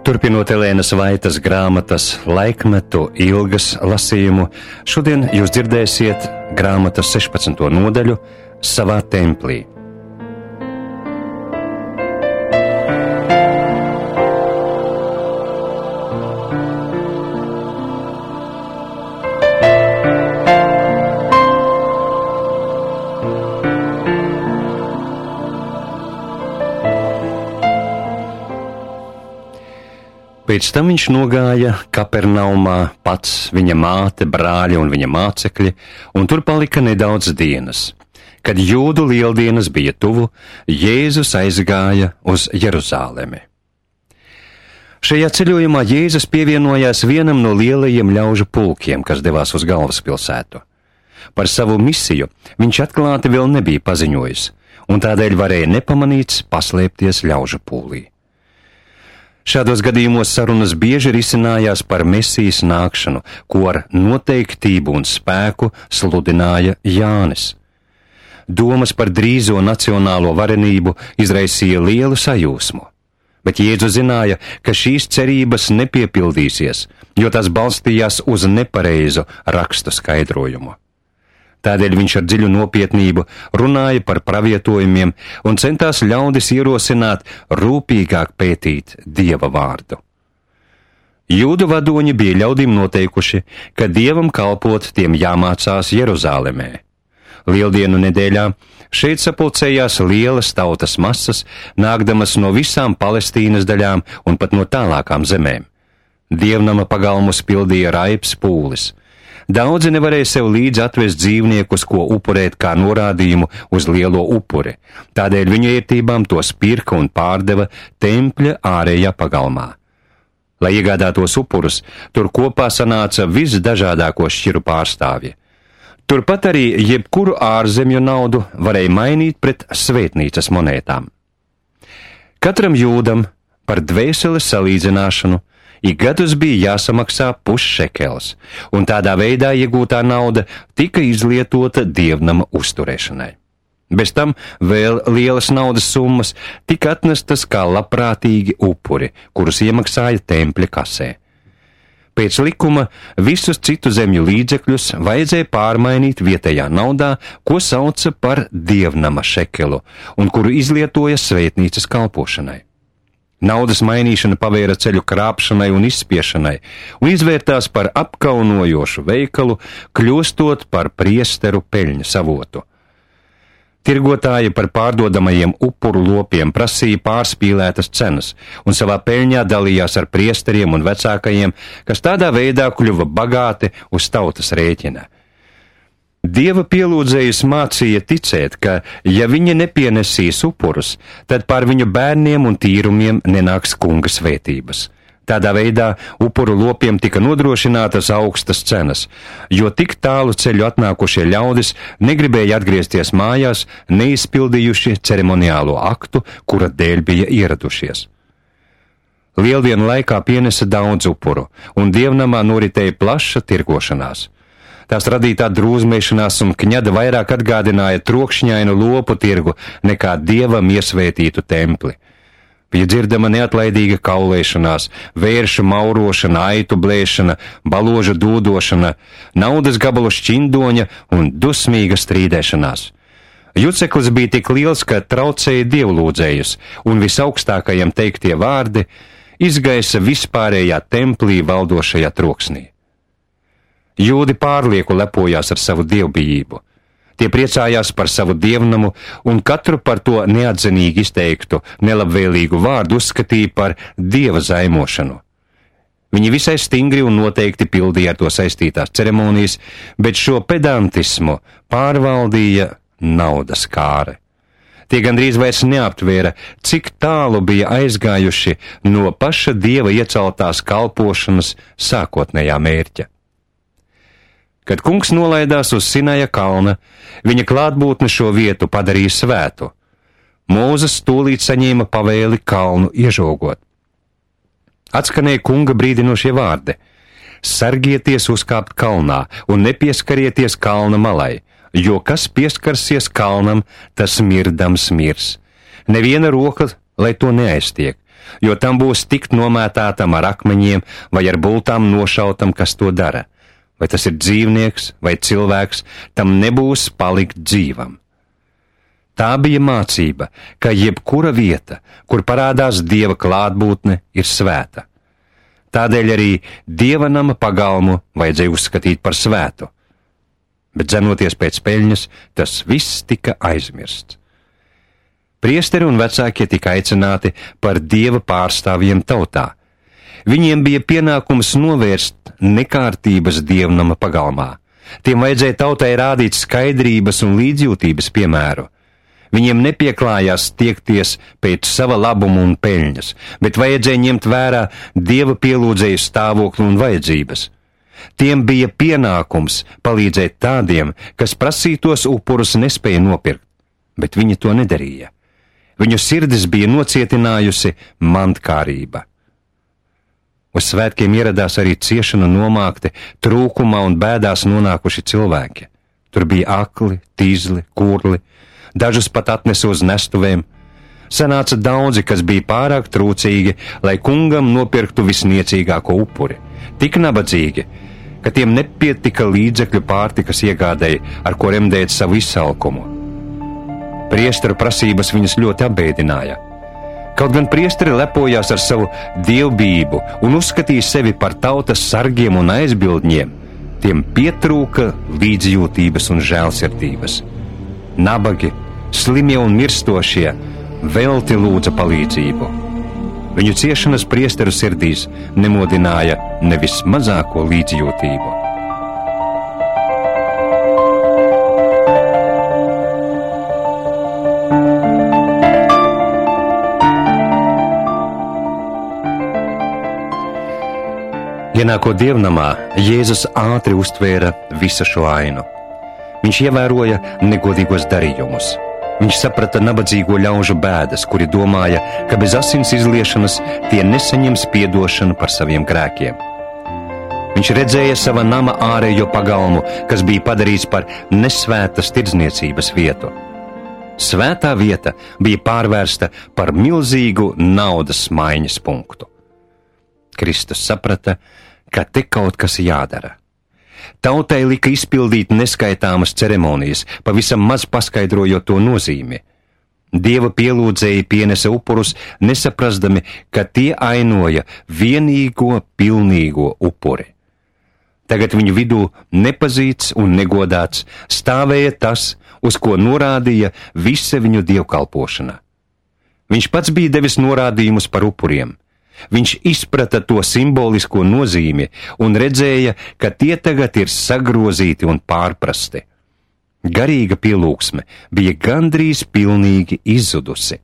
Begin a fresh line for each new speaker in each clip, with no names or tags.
Turpinot Elēnas Vaitas grāmatas Laikmetu ilgas lasījumu, šodien jūs dzirdēsiet grāmatas 16. nodaļu Savā templī. Pēc tam viņš nogāja Kapernaumā, pats, viņa māte, brāļi un viņa mācekļi, un tur palika nedaudz dienas. Kad Jūdu lieldienas bija tuvu, Jēzus aizgāja uz Jeruzālemi. Šajā ceļojumā Jēzus pievienojās vienam no lielajiem ļaužu pulkiem, kas devās uz galvaspilsētu. Par savu misiju viņš atklāti vēl nebija paziņojis, un tādēļ varēja nepamanīts paslēpties ļaužu pūlī. Šādos gadījumos sarunas bieži risinājās par Mesijas nākšanu, ko ar noteiktību un spēku sludināja Jānis. Domas par drīzo nacionālo varenību izraisīja lielu sajūsmu, bet Jēzus zināja, ka šīs cerības nepiepildīsies, jo tās balstījās uz nepareizu rakstu skaidrojumu. Tādēļ viņš ar dziļu nopietnību runāja par pravietojumiem un centās ļaudis ierosināt rūpīgāk pētīt Dieva vārdu. Jūdu vadoņi bija ļaudīm noteikuši, ka Dievam kalpot tiem jāmācās Jeruzālemē. Lieldienu nedēļā šeit sapulcējās lielas tautas masas, nākdamas no visām Palestīnas daļām un pat no tālākām zemēm. Dievnama pagalmus pildīja raips pūlis. Daudzi nevarēja sev līdzi atvest dzīvniekus, ko upurēt kā norādījumu uz lielo upuri, tādēļ viņu ērtībām tos pirka un pārdeva tempļa ārējā pagalmā. Lai iegādātos upurus, tur kopā sanāca visdažādāko šķiru pārstāvji. Turpat arī jebkuru ārzemju naudu varēja mainīt pret svētnīcas monētām. Katram jūdam par dvēseles salīdzināšanu ik gadus bija jāsamaksā pusšekels, un tādā veidā iegūtā nauda tika izlietota dievnama uzturēšanai. Bez tam vēl lielas naudas summas tika atnestas kā labprātīgi upuri, kurus iemaksāja tempļa kasē. Pēc likuma visus citu zemju līdzekļus vajadzēja pārmainīt vietējā naudā, ko sauca par dievnama šekelu, un kuru izlietoja svētnīcas kalpošanai. Naudas mainīšana pavēra ceļu krāpšanai un izspiešanai, un izvērtās par apkaunojošu veikalu, kļūstot par priesteru peļņas avotu. Tirgotāji par pārdodamajiem upuru lopiem prasīja pārspīlētas cenas, un savā peļņā dalījās ar priesteriem un vecākajiem, kas tādā veidā kļuva bagāti uz tautas rēķina. Dieva pielūdzējus mācīja ticēt, ka, ja viņi nepienesīs upurus, tad pār viņu bērniem un tīrumiem nenāks kunga svētības. Tādā veidā upuru lopiem tika nodrošinātas augstas cenas, jo tik tālu ceļu atnākušie ļaudis negribēja atgriezties mājās, neizpildījuši ceremoniālo aktu, kura dēļ bija ieradušies. Lieldienu laikā pienesa daudz upuru, un dievnamā noritēja plaša tirgošanās. Tās radītā drūzmēšanās un kņada vairāk atgādināja trokšņainu lopu tirgu nekā dievam iesvētītu templi. Bija dzirdama neatlaidīga kaulēšanās, vēršu maurošana, aitu blēšana, baloža dūdošana, naudas gabalu šķindoņa un dusmīga strīdēšanās. Juceklis bija tik liels, ka traucēja dievlūdzējus, un visaugstākajam teiktie vārdi izgaisa vispārējā templī valdošajā troksnī. Jūdi pārlieku lepojās ar savu dievbijību. Tie priecājās par savu dievnamu un katru par to neatzinīgi izteiktu, nelabvēlīgu vārdu uzskatīja par dieva zaimošanu. Viņi visai stingri un noteikti pildīja ar to saistītās ceremonijas, bet šo pedantismu pārvaldīja naudas kāre. Tie gandrīz vairs neaptvēra, cik tālu bija aizgājuši no paša dieva ieceltās kalpošanas sākotnējā mērķa. Kad kungs nolaidās uz Sinaja kalna, viņa klātbūtne šo vietu padarīja svētu. Mūzes tūlīt saņēma pavēli kalnu iežogot. Atskanēja kunga brīdinošie vārdi: sargieties uzkāpt kalnā un nepieskarieties kalna malai, jo kas pieskarsies kalnam, tas mirdams mirs. Neviena roka lai to neaiztiek, jo tam būs tikt nomētātam ar akmeņiem vai ar bultām nošautam, kas to dara. Vai tas ir dzīvnieks vai cilvēks, tam nebūs palikt dzīvam. Tā bija mācība, ka jebkura vieta, kur parādās Dieva klātbūtne, ir svēta. Tādēļ arī Dieva nama pagalmu vajadzēja uzskatīt par svētu. Bet dzenoties pēc peļņas, tas viss tika aizmirsts. Priesteri un vecākie tika aicināti par Dieva pārstāvjiem tautā. Viņiem bija pienākums novērst nekārtības dievnama pagalmā. Tiem vajadzēja tautai rādīt skaidrības un līdzjūtības piemēru. Viņiem nepieklājās tiekties pēc sava labuma un peļņas, bet vajadzēja ņemt vērā Dieva pielūdzēju stāvokli un vajadzības. Tiem bija pienākums palīdzēt tādiem, kas prasītos upurus nespēja nopirkt, bet viņi to nedarīja. Viņu sirdis bija nocietinājusi mantkārība. Uz svētkiem ieradās arī ciešana nomākti, trūkumā un bēdās nonākuši cilvēki. Tur bija akli, tīzli, kurli, dažus pat atnesa uz nestuvēm. Sanāca daudzi, kas bija pārāk trūcīgi, lai kungam nopirktu visniecīgāko upuri. Tik nabadzīgi, ka tiem nepietika līdzekļu pārtikas iegādēji, ar ko remdēt savu izsalkumu. Priesteru prasības viņus ļoti apbēdināja. Kaut gan priesteri lepojās ar savu dievbijību un uzskatīja sevi par tautas sargiem un aizbildņiem, tiem pietrūka līdzjūtības un žēlsirdības. Nabagi, slimie un mirstošie velti lūdza palīdzību. Viņu ciešanas priesteru sirdīs nemodināja nevis mazāko līdzjūtību. Ienākot dievnamā, Jēzus ātri uztvēra visu šo ainu. Viņš ievēroja negodīgos darījumus. Viņš saprata nabadzīgo ļaužu bēdas, kuri domāja, ka bez asins izliešanas tie nesaņems piedošanu par saviem grēkiem. Viņš redzēja sava nama ārējo pagalmu, kas bija padarīts par nesvētas tirdzniecības vietu. Svētā vieta bija pārvērsta par milzīgu naudas maiņas punktu. Kristus saprata, ka te kaut kas jādara. Tautai lika izpildīt neskaitāmas ceremonijas, pavisam maz paskaidrojot to nozīmi. Dieva pielūdzēji pienesa upurus, nesaprastami, ka tie ainoja vienīgo, pilnīgo upuri. Tagad viņu vidū nepazīts un negodāts stāvēja tas, uz ko norādīja visa viņu dievkalpošana. Viņš pats bija devis norādījumus par upuriem. Viņš izprata to simbolisko nozīmi un redzēja, ka tie tagad ir sagrozīti un pārprasti. Garīga pielūgsme bija gandrīz pilnīgi izzudusi.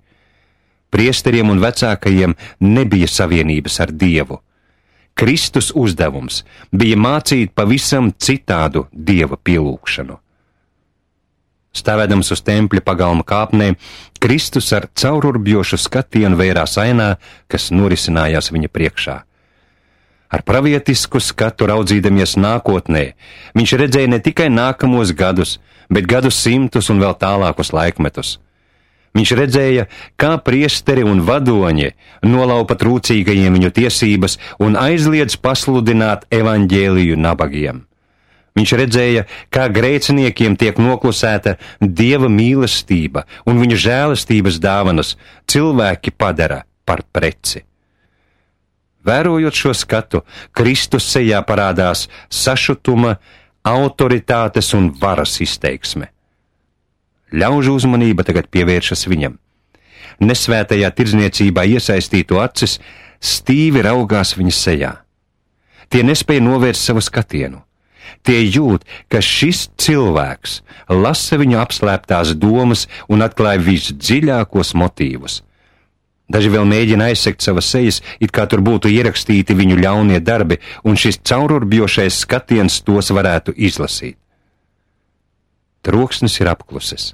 Priesteriem un vecākajiem nebija savienības ar Dievu. Kristus uzdevums bija mācīt pavisam citādu Dieva pielūgšanu. Stāvēdams uz tempļa pagalma kāpnēm, Kristus ar caururbjošu skatienu vērās ainā, kas norisinājās viņa priekšā. Ar pravietisku skatu raudzīdamies nākotnē, viņš redzēja ne tikai nākamos gadus, bet gadus simtus un vēl tālākus laikmetus. Viņš redzēja, kā priesteri un vadoņi nolaupa trūcīgajiem viņu tiesības un aizliedz pasludināt evaņģēliju nabagiem. Viņš redzēja, kā grēciniekiem tiek noklusēta Dieva mīlestība un viņa žēlastības dāvanas cilvēki padara par preci. Vērojot šo skatu, Kristus sejā parādās sašutuma, autoritātes un varas izteiksme. Ļaužu uzmanība tagad pievēršas viņam. Nesvētajā tirdzniecībā iesaistīto acis stīvi raugās viņa sejā. Tie nespēja novērst savu skatienu. Tie jūt, ka šis cilvēks lasa viņu apslēptās domas un atklāja visdziļākos motīvus. Daži vēl mēģina aizsegt savas sejas, it kā tur būtu ierakstīti viņu ļaunie darbi, un šis caururbjošais skatiens tos varētu izlasīt. Troksnis ir apklusis.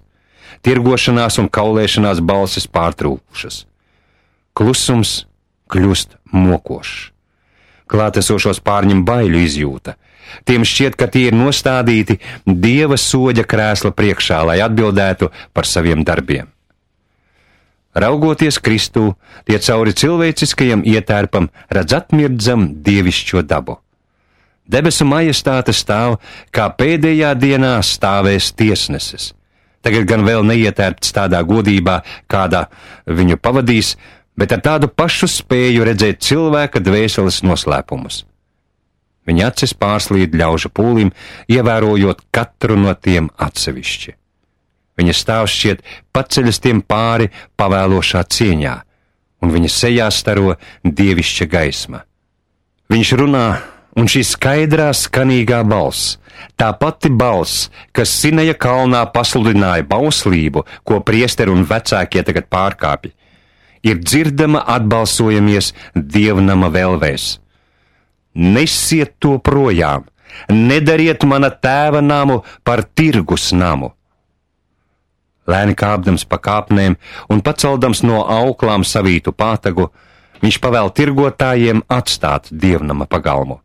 Tirgošanās un kaulēšanās balsis pārtrūkušas. Klusums kļūst mokošs. Klātesošos pārņem baiļu izjūta. Tiem šķiet, ka tie ir nostādīti Dieva soļa krēsla priekšā, lai atbildētu par saviem darbiem. Raugoties Kristū, tie cauri cilvēciskajam ietērpam redz atmirdzam dievišķo dabu. Debesu majestāte stāv, kā pēdējā dienā stāvēs tiesnesis. Tagad gan vēl neietērpts tādā godībā, kādā viņu pavadīs, bet ar tādu pašu spēju redzēt cilvēka dvēseles noslēpumus. Viņa acis pārslīd ļaužu pūlim, ievērojot katru no tiem atsevišķi. Viņa stāvs šķiet paceļas tiem pāri pavēlošā cieņā, un viņa sejā staro dievišķa gaisma. Viņš runā, un šī skaidrā, skanīgā balss, tā pati balss, kas Sinaja kalnā pasludināja bauslību, ko priesteri un vecākie tagad pārkāpj, ir dzirdama atbalsojamies dievnama velvēs. Nesiet to projām, nedariet mana tēva namu par tirgus namu. Lēni kāpdams pa kāpnēm un paceldams no auklām savītu pātagu, viņš pavēl tirgotājiem atstāt dievnama pagalmu.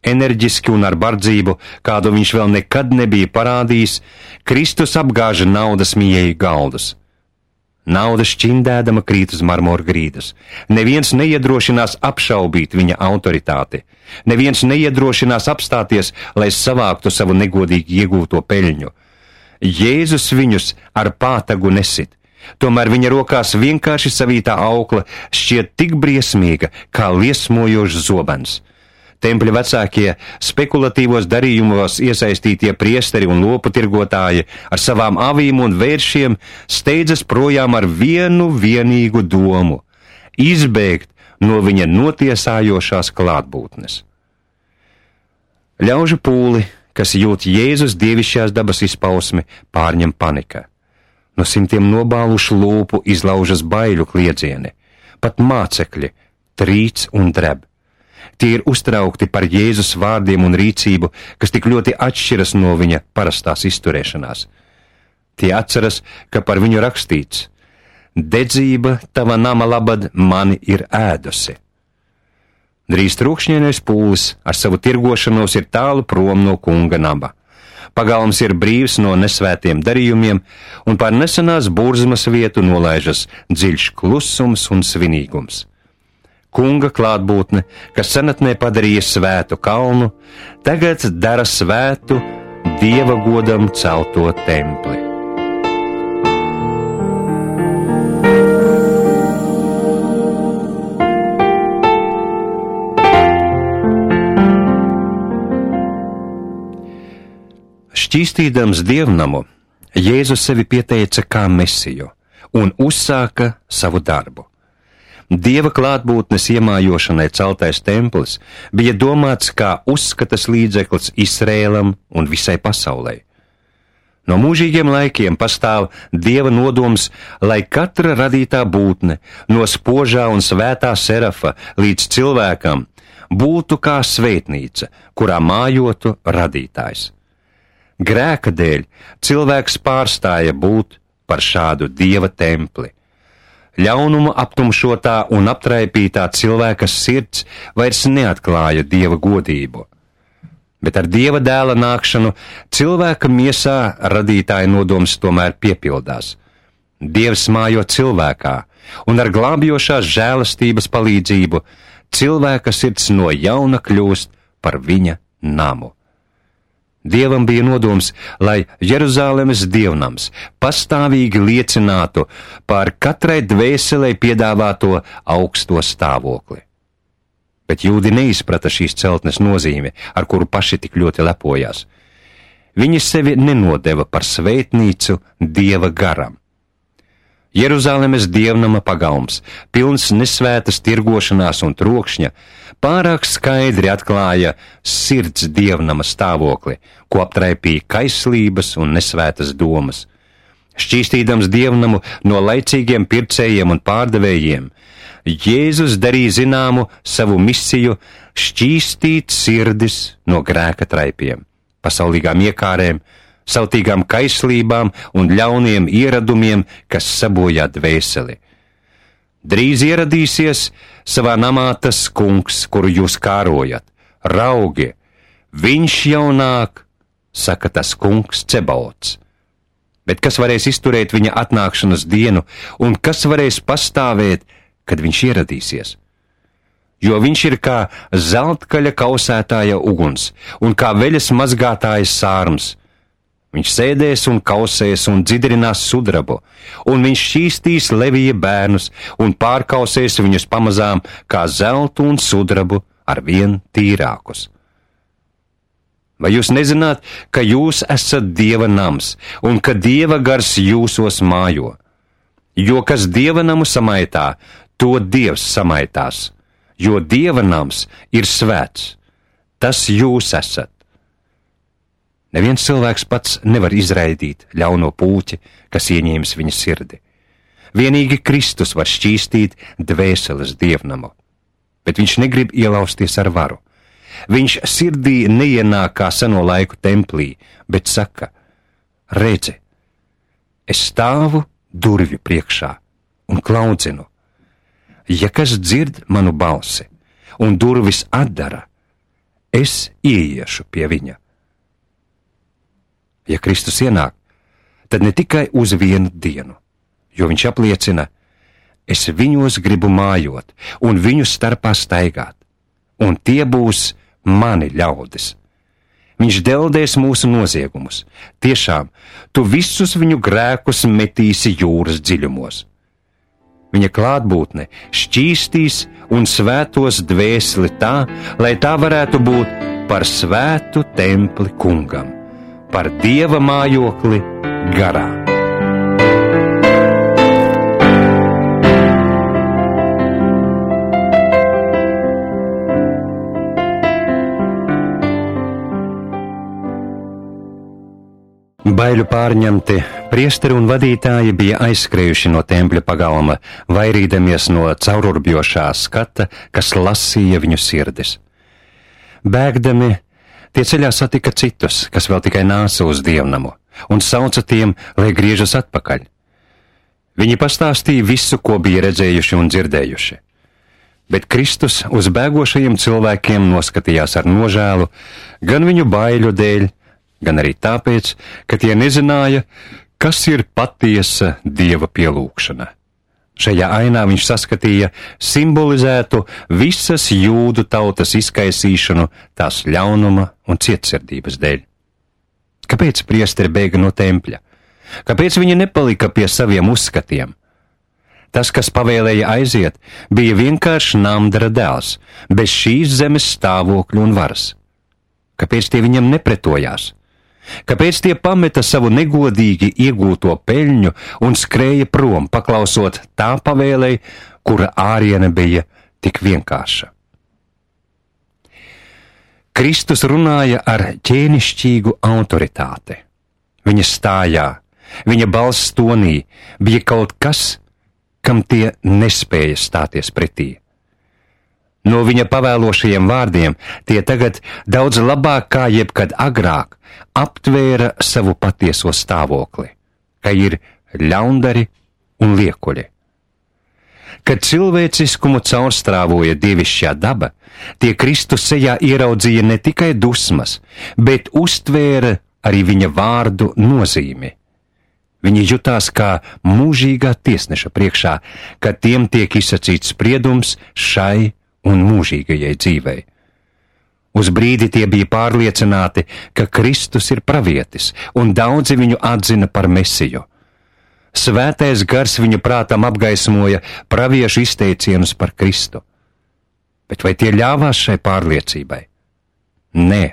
Enerģiski un ar bardzību, kādu viņš vēl nekad nebija parādījis, Kristus apgāža naudas mīļēju galdus. Nauda šķindēdama krīt uz marmora grīdas. Neviens neiedrošinās apšaubīt viņa autoritāti. Neviens neiedrošinās apstāties, lai savāktu savu negodīgi iegūto peļņu. Jēzus viņus ar pātagu nesit. Tomēr viņa rokās vienkārši savītā aukla šķiet tik briesmīga, kā liesmojošs zobens. Tempļa vecākie, spekulatīvos darījumos iesaistītie priesteri un lopu tirgotāji ar savām avīm un vēršiem steidzas projām ar vienu vienīgu domu – izbēgt no viņa notiesājošās klātbūtnes. Ļaužu pūli, kas jūt Jēzus dievišķās dabas izpausmi, pārņem panika. No simtiem nobālušu lūpu izlaužas baiļu kliedzieni, pat mācekļi trīc un dreb. Tie ir uztraukti par Jēzus vārdiem un rīcību, kas tik ļoti atšķiras no viņa parastās izturēšanās. Tie atceras, ka par viņu rakstīts: dedzība tava nama labad mani ir ēdusi. Drīz trūkšņainais pūlis ar savu tirgošanos ir tālu prom no kunga naba. Pagalms ir brīvs no nesvētiem darījumiem, un pār nesenās burzmas vietu nolaižas dziļš klusums un svinīgums. Kunga klātbūtne, kas senatnē padarīja svētu kalnu, tagad dara svētu Dieva godam celto templi. Šķīstīdams dievnamu, Jēzus sevi pieteica kā mesiju un uzsāka savu darbu. Dieva klātbūtnes iemājošanai celtais templis bija domāts kā uzskatas līdzeklis Izrēlam un visai pasaulei. No mūžīgiem laikiem pastāv Dieva nodoms, lai katra radītā būtne, no spožā un svētā serafa līdz cilvēkam, būtu kā svētnīca, kurā mājotu radītājs. Grēka dēļ cilvēks pārstāja būt par šādu Dieva templi. Ļaunuma aptumšotā un aptraipītā cilvēka sirds vairs neatklāja Dieva godību. Bet ar Dieva dēla nākšanu cilvēka miesā radītāja nodoms tomēr piepildās. Dievs mājo cilvēkā, un ar glābjošās žēlastības palīdzību cilvēka sirds no jauna kļūst par viņa namu. Dievam bija nodoms, lai Jeruzālemes dievnams pastāvīgi liecinātu par katrai dvēselei piedāvāto augsto stāvokli. Bet jūdi neizprata šīs celtnes nozīmi, ar kuru paši tik ļoti lepojās. Viņi sevi nenodeva par svētnīcu Dieva garam. Jeruzālemes dievnama pagalms, pilns nesvētas tirgošanās un trokšņa, pārāk skaidri atklāja sirds dievnama stāvokli, ko aptraipīja kaislības un nesvētas domas. Šķīstīdams dievnamu no laicīgiem pircējiem un pārdevējiem, Jēzus darīja zināmu savu misiju šķīstīt sirdis no grēka traipiem, pasaulīgām iekārēm, sautīgām kaislībām un ļauniem ieradumiem, kas sabojā dvēseli. Drīz ieradīsies savā namā tas kungs, kuru jūs kārojat. Raugi, viņš jau nāk, saka tas kungs Cebaots. Bet kas varēs izturēt viņa atnākšanas dienu, un kas varēs pastāvēt, kad viņš ieradīsies? Jo viņš ir kā zeltkaļa kausētāja uguns, un kā veļas mazgātājas sārms. Viņš sēdēs un kausēs un dzidrinās sudrabu, un viņš šķīstīs Levija bērnus un pārkausēs viņus pamazām kā zeltu un sudrabu ar vien tīrākus. Vai jūs nezināt, ka jūs esat Dieva nams, un ka Dieva gars jūsos mājo? Jo kas Dieva namu samaitā, to Dievs samaitās, jo Dieva nams ir svēts. Tas jūs esat. Neviens cilvēks pats nevar izraidīt ļauno pūķi, kas ieņēmis viņa sirdi. Vienīgi Kristus var šķīstīt dvēseles dievnamu, bet viņš negrib ielausties ar varu. Viņš sirdī neienāk kā seno laiku templī, bet saka: redzi, es stāvu durvju priekšā un klaudzinu. Ja kas dzird manu balsi un durvis atdara, es ieiešu pie viņa. Ja Kristus ienāk, tad ne tikai uz vienu dienu, jo viņš apliecina: es viņos gribu mājot un viņu starpā staigāt, un tie būs mani ļaudis. Viņš deldēs mūsu noziegumus. Tiešām, tu visus viņu grēkus metīsi jūras dziļumos. Viņa klātbūtne šķīstīs un svētos dvēseli tā, lai tā varētu būt par svētu templi kungam, par Dieva mājokli garā. Baiļu pārņemti priesteri un vadītāji bija aizskrējuši no tempļa pagalma, vairīdamies no caururbjošā skata, kas lasīja viņu sirdis. Bēgdami, tie ceļā satika citus, kas vēl tikai nāca uz dievnamu, un sauca tiem, lai griežas atpakaļ. Viņi pastāstīja visu, ko bija redzējuši un dzirdējuši. Bet Kristus uz bēgošajiem cilvēkiem noskatījās ar nožēlu, gan viņu baiļu dēļ, gan arī tāpēc, ka tie nezināja, kas ir patiesa Dieva pielūgšana. Šajā ainā viņš saskatīja simbolizētu visas jūdu tautas izkaisīšanu tās ļaunuma un cietsirdības dēļ. Kāpēc priesteri bēga no tempļa? Kāpēc viņi nepalika pie saviem uzskatiem? Tas, kas pavēlēja aiziet, bija vienkārši Namdara dēls, bez šīs zemes stāvokļa un varas. Kāpēc tie viņam nepretojās? Kāpēc tie pameta savu negodīgi iegūto peļņu un skrēja prom, paklausot tā pavēlei, kura āriene bija tik vienkārša? Kristus runāja ar ķēnišķīgu autoritāti. Viņa stājā, viņa balss tonī bija kaut kas, kam tie nespēja stāties pretī. No viņa pavēlošajiem vārdiem tie tagad daudz labāk kā jebkad agrāk aptvēra savu patieso stāvokli, ka ir ļaundari un liekuļi. Kad cilvēciskumu caurstrāvoja dievišķā daba, tie Kristus sejā ieraudzīja ne tikai dusmas, bet uztvēra arī viņa vārdu nozīmi. Viņi jutās kā mūžīgā tiesneša priekšā, kad tiem tiek izsacīts spriedums šai un mūžīgajai dzīvei. Uz brīdi tie bija pārliecināti, ka Kristus ir pravietis, un daudzi viņu atzina par Mesiju. Svētais gars viņu prātam apgaismoja praviešu izteicienus par Kristu. Bet vai tie ļāvās šai pārliecībai? Nē,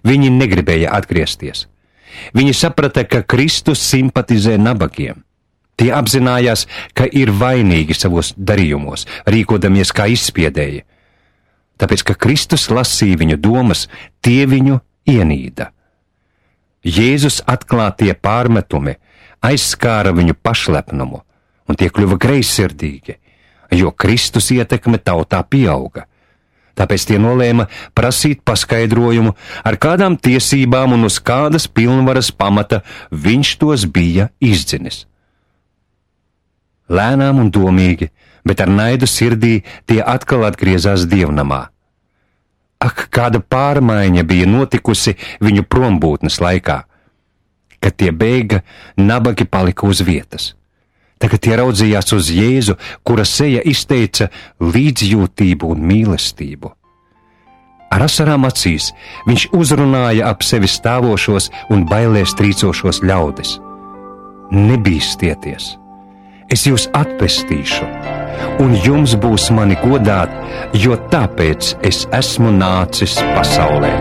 viņi negribēja atgriezties. Viņi saprata, ka Kristus simpatizē nabagiem. Tie apzinājās, ka ir vainīgi savos darījumos, rīkodamies kā izspiedēji. Tāpēc, ka Kristus lasīja viņu domas, tie viņu ienīda. Jēzus atklātie pārmetumi aizskāra viņu pašlepnumu, un tie kļuva greizsirdīgi, jo Kristus ietekme tautā pieauga. Tāpēc tie nolēma prasīt paskaidrojumu, ar kādām tiesībām un uz kādas pilnvaras pamata viņš tos bija izdzinis. Lēnām un domīgi, bet ar naidu sirdī tie atkal atgriezās dievnamā. Ak, kāda pārmaiņa bija notikusi viņu prombūtnes laikā! Kad tie bēga, nabagi palika uz vietas. Tagad tie raudzījās uz Jēzu, kura seja izteica līdzjūtību un mīlestību. Ar asarām acīs viņš uzrunāja ap sevi stāvošos un bailēs trīcošos ļaudis. Nebīstieties, es jūs atpestīšu, un jums būs mani godāt, jo tāpēc es esmu nācis pasaulē.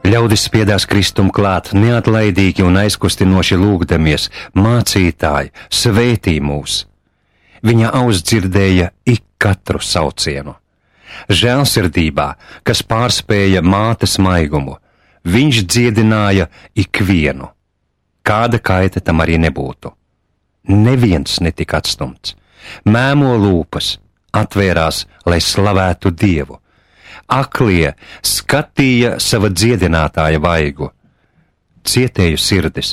Ļaudis spiedās Kristum klāt, neatlaidīgi un aizkustinoši lūgdamies: Mācītāji, svētī mūs! Viņa auss dzirdēja ik katru saucienu. Žēlsirdībā, kas pārspēja mātes maigumu, viņš dziedināja ikvienu. Kāda kaita tam arī nebūtu. Neviens netika atstumts. Mēmo lūpas, atvērās, lai slavētu Dievu. Aklie skatīja sava dziedinātāja vaigu. Cietēju sirdis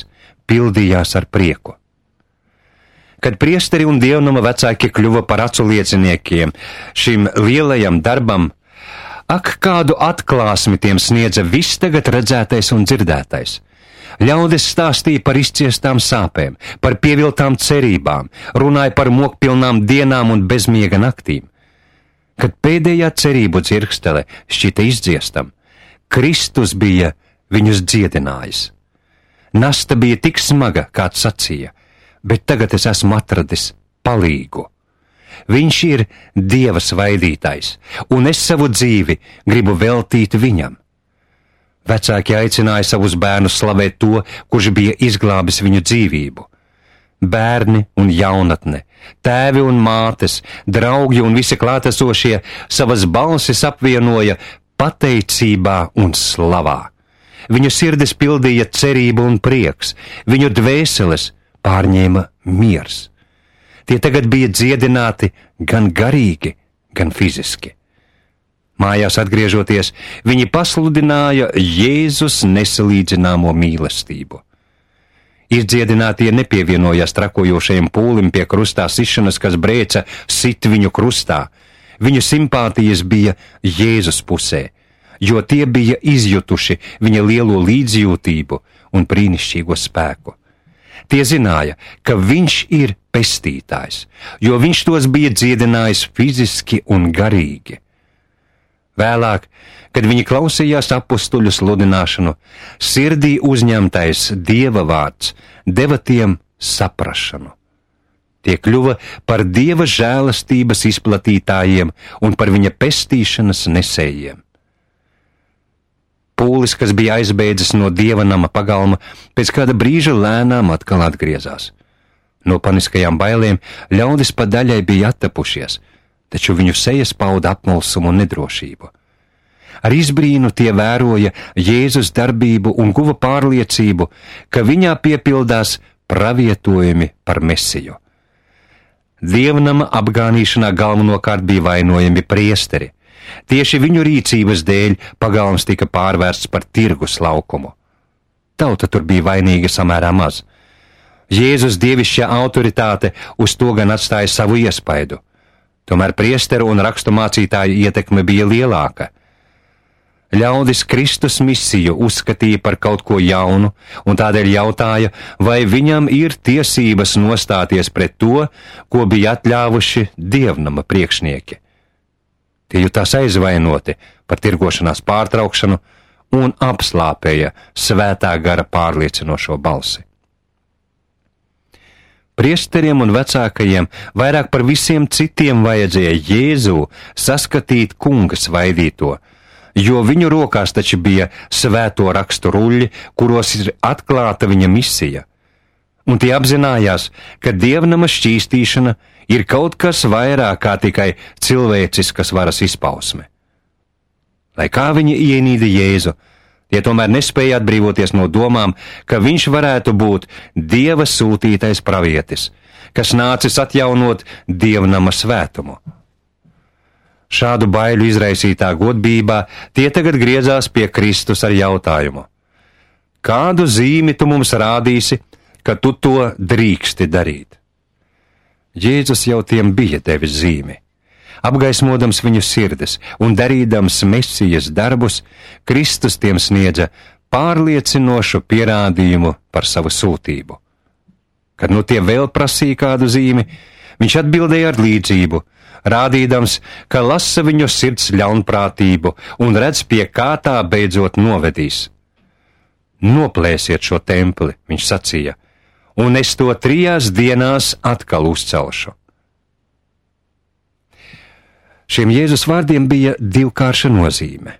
pildījās ar prieku. Kad priesteri un dievnama vecāki kļuva par acu lieciniekiem šim lielajam darbam, ak, kādu atklāsmi tiem sniedza viss tagad redzētais un dzirdētais. Ļaudis stāstīja par izciestām sāpēm, par pieviltām cerībām, runāja par mokpilnām dienām un bezmiega naktīm. Kad pēdējā cerību dzirkstele šķita izdziestam, Kristus bija viņus dziedinājis. Nasta bija tik smaga, kāds sacīja, bet tagad es esmu atradis palīgu. Viņš ir Dieva svaidītājs, un es savu dzīvi gribu veltīt viņam. Vecāki aicināja savus bērnus slavēt to, kurš bija izglābis viņu dzīvību. Bērni un jaunatne, tēvi un mātes, draugi un visi klātesošie savas balsis apvienoja pateicībā un slavā. Viņu sirdis pildīja cerība un prieks, viņu dvēseles pārņēma miers. Tie tagad bija dziedināti gan garīgi, gan fiziski. Mājās atgriežoties, viņi pasludināja Jēzus nesalīdzināmo mīlestību. Izdziedinātie nepievienojās trakojošajam pūlim pie krustā sišanas, kas brēca sit viņu krustā. Viņu simpātijas bija Jēzus pusē, jo tie bija izjutuši viņa lielo līdzjūtību un brīnišķīgo spēku. Tie zināja, ka viņš ir pestītājs, jo viņš tos bija dziedinājis fiziski un garīgi. Vēlāk, kad viņi klausījās apustuļu sludināšanu, sirdī uzņemtais Dieva vārds deva tiem saprašanu. Tie kļuva par Dieva žēlastības izplatītājiem un par viņa pestīšanas nesējiem. Pūlis, kas bija aizbēdzis no Dieva nama pagalma, pēc kāda brīža lēnām atkal atgriezās. No paniskajām bailēm ļaudis pa daļai bija attapušies, taču viņu sejas pauda apmulsumu un nedrošību. Ar izbrīnu tie vēroja Jēzus darbību un guva pārliecību, ka viņā piepildās pravietojumi par Mesiju. Dievnama apgānīšanā galvenokārt bija vainojami priesteri. Tieši viņu rīcības dēļ pagalms tika pārvērsts par tirgus laukumu. Tauta tur bija vainīga samērā maz. Jēzus dievišķā autoritāte uz to gan atstāja savu iespaidu. Tomēr priesteru un rakstu mācītāju ietekme bija lielāka. Ļaudis Kristus misiju uzskatīja par kaut ko jaunu, un tādēļ jautāja, vai viņam ir tiesības nostāties pret to, ko bija atļāvuši dievnama priekšnieki. Tie jutās aizvainoti par tirgošanās pārtraukšanu un apslāpēja svētā gara pārliecinošo balsi. Priesteriem un vecākajiem vairāk par visiem citiem vajadzēja Jēzu saskatīt kunga svaidīto, jo viņu rokās taču bija svēto rakstu ruļļi, kuros ir atklāta viņa misija. Un tie apzinājās, ka dievnama šķīstīšana ir kaut kas vairāk kā tikai cilvēciskas varas izpausme. Lai kā viņi ienīda Jēzu, tie tomēr nespēja atbrīvoties no domām, ka viņš varētu būt Dieva sūtītais pravietis, kas nācis atjaunot dievnama svētumu. Šādu baiļu izraisītā godbībā tie tagad griezās pie Kristus ar jautājumu: kādu zīmi tu mums rādīsi, ka tu to drīksti darīt. Jēzus jau tiem bija devis zīmi. Apgaismodams viņu sirdis un darīdams Mesijas darbus, Kristus tiem sniedza pārliecinošu pierādījumu par savu sūtību. Kad nu tie vēl prasīja kādu zīmi, viņš atbildēja ar līdzību, rādīdams, ka lasa viņu sirds ļaunprātību un redz, pie kā tā beidzot novedīs. Noplēsiet šo templi, viņš sacīja, un es to 3 dienās atkal uzcelšu. Šiem Jēzus vārdiem bija divkārša nozīme.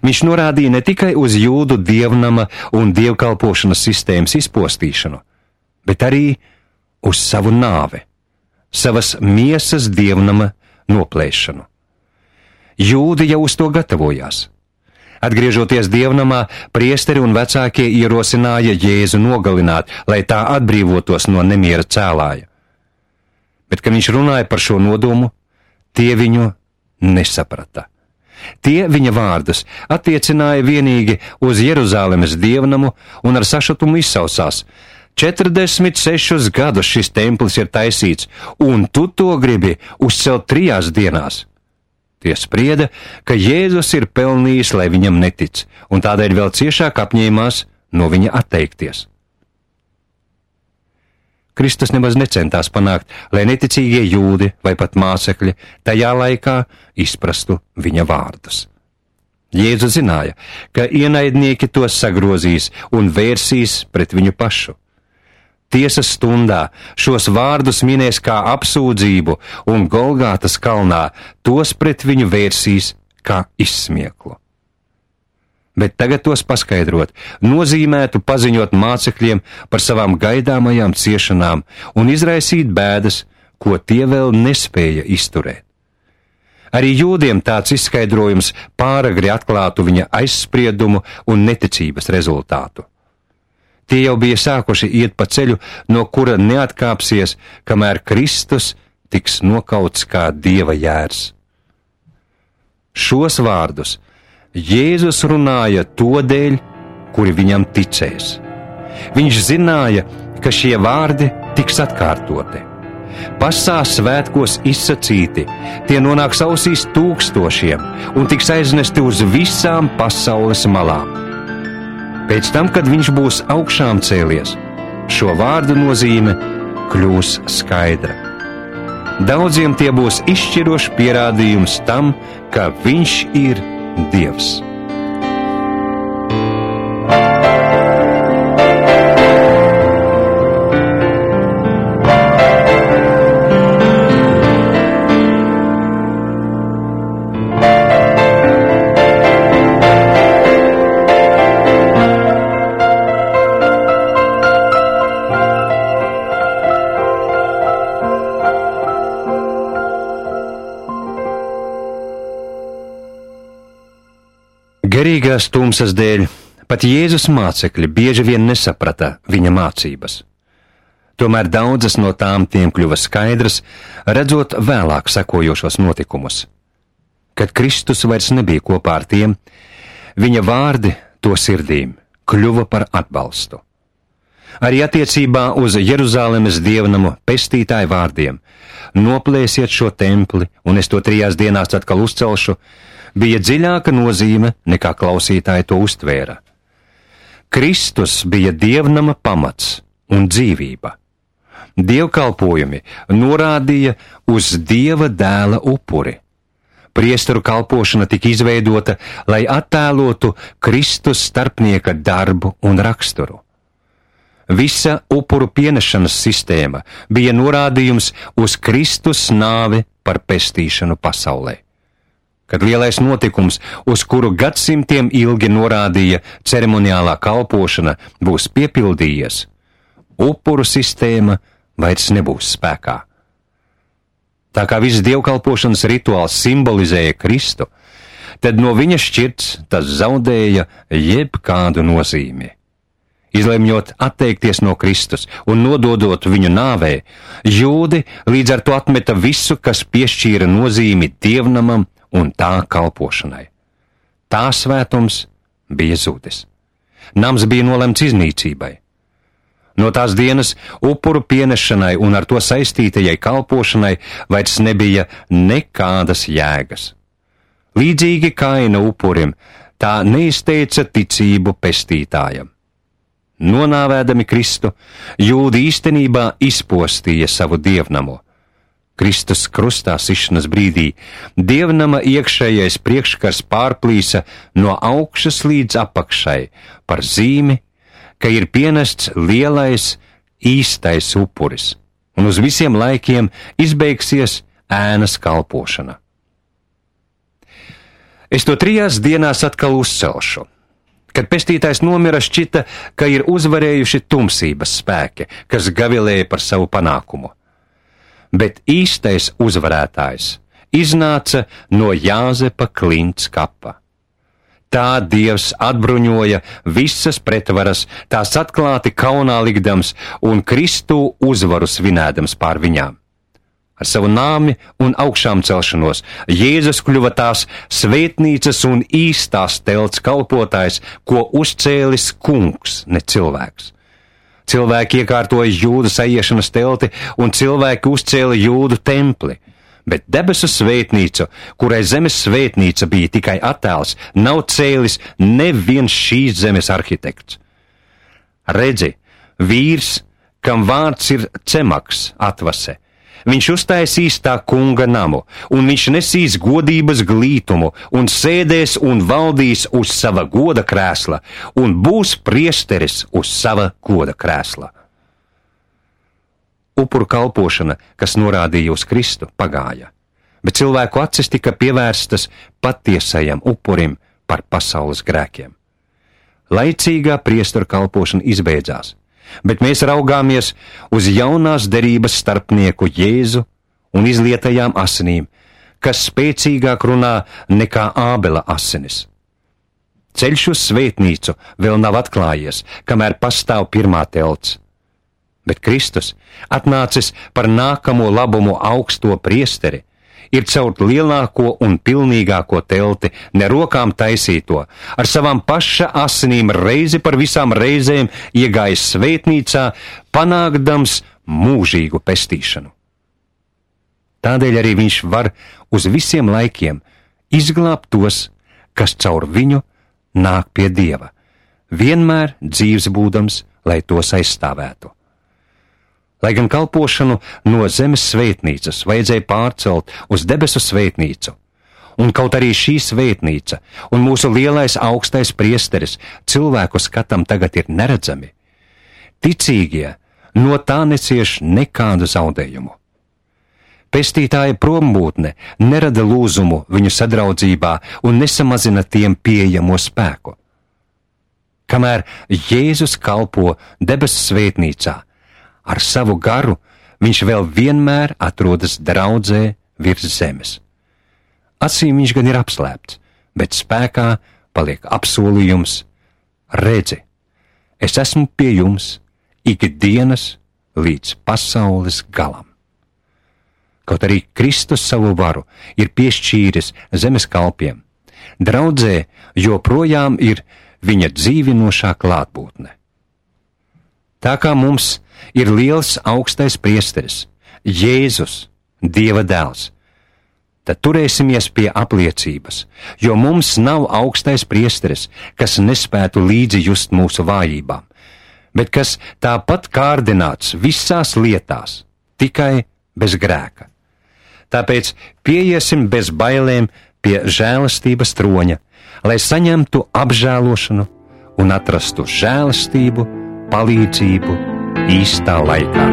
Viņš norādīja ne tikai uz jūdu dievnama un dievkalpošanas sistēmas izpostīšanu, bet arī uz savu nāvi, savas miesas dievnama noplēšanu. Jūdi jau uz to gatavojās. Atgriežoties dievnamā, priesteri un vecākie ierosināja Jēzu nogalināt, lai tā atbrīvotos no nemiera cēlāja. Bet, kad viņš runāja par šo nodomu, tie viņu nesaprata. Tie viņa vārdus attiecināja vienīgi uz Jeruzālemes dievnamu un ar sašutumu izsausās: 46 gadus šis templis ir taisīts, un tu to gribi uzcelt 3 dienās. Tie sprieda, ka Jēzus ir pelnījis, lai viņam netic, un tādēļ vēl ciešāk apņēmās no viņa atteikties. Kristus nemaz necentās panākt, lai neticīgie jūdi vai pat mācekļi tajā laikā izprastu viņa vārdus. Jēzus zināja, ka ienaidnieki tos sagrozīs un vērsīs pret viņu pašu. Tiesas stundā šos vārdus minēs kā apsūdzību, un Golgātas kalnā tos pret viņu vērsīs kā izsmieklu. Bet tagad tos paskaidrot nozīmētu paziņot mācekļiem par savām gaidāmajām ciešanām un izraisīt bēdas, ko tie vēl nespēja izturēt. Arī jūdiem tāds izskaidrojums pāragri atklātu viņa aizspriedumu un neticības rezultātu. Tie jau bija sākuši iet pa ceļu, no kura neatkāpsies, kamēr Kristus tiks nokauts kā Dieva jērs. Šos vārdus Jēzus runāja to dēļ, kuri viņam ticēs. Viņš zināja, ka šie vārdi tiks atkārtoti. Pasā svētkos izsacīti, tie nonāks ausīs tūkstošiem un tiks aiznesti uz visām pasaules malām. Pēc tam, kad viņš būs augšām cēlies, šo vārdu nozīme kļūs skaidra. Daudziem tie būs izšķirošs pierādījums tam, ka viņš ir Dievs. Garīgās tumsas dēļ pat Jēzus mācekļi bieži vien nesaprata viņa mācības. Tomēr daudzas no tām tiem kļuva skaidras, redzot vēlāk sekojošos notikumus. Kad Kristus vairs nebija kopā ar tiem, viņa vārdi to sirdīm kļuva par atbalstu. Arī attiecībā uz Jeruzālemes dievnamu pestītāju vārdiem: noplēsiet šo templi, un es to 3 dienās atkal uzcelšu, bija dziļāka nozīme, nekā klausītāji to uztvēra. Kristus bija dievnama pamats un dzīvība. Dievkalpojumi norādīja uz Dieva dēla upuri. Priesteru kalpošana tika izveidota, lai attēlotu Kristus starpnieka darbu un raksturu. Visa upuru pienešanas sistēma bija norādījums uz Kristus nāvi par pestīšanu pasaulē. Kad lielais notikums, uz kuru gadsimtiem ilgi norādīja ceremoniālā kalpošana, būs piepildījies, upuru sistēma vairs nebūs spēkā. Tā kā viss dievkalpošanas rituāls simbolizēja Kristu, tad no viņa šķirts tas zaudēja jebkādu nozīmi. Izlemjot atteikties no Kristus un nododot viņu nāvē, jūdi līdz ar to atmeta visu, kas piešķīra nozīmi dievnamam un tā kalpošanai. Tā svētums bija zudis. Nams bija nolemts iznīcībai. No tās dienas upuru pienešanai un ar to saistītajai kalpošanai vairs nebija nekādas jēgas. Līdzīgi Kaina upurim, tā neizteica ticību pestītājam. Nonāvēdami Kristu, jūdi īstenībā izpostīja savu dievnamu. Kristus krustā sišanas brīdī dievnama iekšējais priekškars pārplīsa no augšas līdz apakšai par zīmi, ka ir pienests lielais, īstais upuris, un uz visiem laikiem izbeigsies ēnas kalpošana. Es to 3 dienās atkal uzcelšu. Kad pestītājs nomira, šķita, ka ir uzvarējuši tumsības spēki, kas gavilēja par savu panākumu. Bet īstais uzvarētājs iznāca no Jāzepa klints kapa. Tā Dievs atbruņoja visas pretvaras, tās atklāti kaunā likdams un Kristu uzvaru svinēdams pār viņām. Ar savu nāmi un augšām celšanos Jēzus kļuva tās svētnīcas un īstās telts kalpotājs, ko uzcēlis kungs, ne cilvēks. Cilvēki iekārtoja jūdu saiešanas telti un cilvēki uzcēla jūdu templi. Bet debesu svētnīcu, kurai zemes svētnīca bija tikai attēls, nav cēlis neviens šīs zemes arhitekts. Redzi, vīrs, kam vārds ir Cemaks, atvase, viņš uztaisīs tā kunga namu, un viņš nesīs godības glītumu, un sēdēs un valdīs uz sava goda krēsla, un būs priesteris uz sava goda krēsla. Upuru kalpošana, kas norādīja uz Kristu, pagāja, bet cilvēku acis tika pievērstas patiesajam upurim par pasaules grēkiem. Laicīgā priesteru kalpošana izbeidzās, bet mēs raugāmies uz jaunās derības starpnieku Jēzu un izlietajām asinīm, kas spēcīgāk runā nekā Ābela asinis. Ceļš uz svētnīcu vēl nav atklājies, kamēr pastāv pirmā telts. Bet Kristus, atnācis par nākamo labumu augsto priesteri, ir caur lielāko un pilnīgāko telti, ne rokām taisīto, ar savām paša asinīm reizi par visām reizēm iegājis svētnīcā, panākdams mūžīgu pestīšanu. Tādēļ arī viņš var uz visiem laikiem izglābt tos, kas caur viņu nāk pie Dieva, vienmēr dzīvs būdams, lai tos aizstāvētu. Lai gan kalpošanu no zemes svētnīcas vajadzēja pārcelt uz debesu svētnīcu, un kaut arī šī svētnīca un mūsu lielais augstais priesteris cilvēku skatam tagad ir neredzami, ticīgie no tā necieš nekādu zaudējumu. Pestītāja prombūtne nerada lūzumu viņu sadraudzībā un nesamazina tiem pieejamo spēku. Kamēr Jēzus kalpo debesu svētnīcā, ar savu garu viņš vēl vienmēr atrodas draudzē virs zemes. Acīm viņš gan ir apslēpts, bet spēkā paliek apsolījums: redzi, es esmu pie jums ikdienas līdz pasaules galam. Kaut arī Kristus savu varu ir piešķīris zemes kalpiem, draudzē joprojām ir viņa dzīvinošā klātbūtne. Tā kā mums ir liels augstais priesteris, Jēzus, Dieva dēls, tad turēsimies pie apliecības, jo mums nav augstais priesteris, kas nespētu līdzi just mūsu vājībām, bet kas tāpat kārdināts visās lietās, tikai bez grēka. Tāpēc pieiesim bez bailēm pie žēlastības troņa, lai saņemtu apžēlošanu un atrastu žēlastību, palīdzību īstā laikā.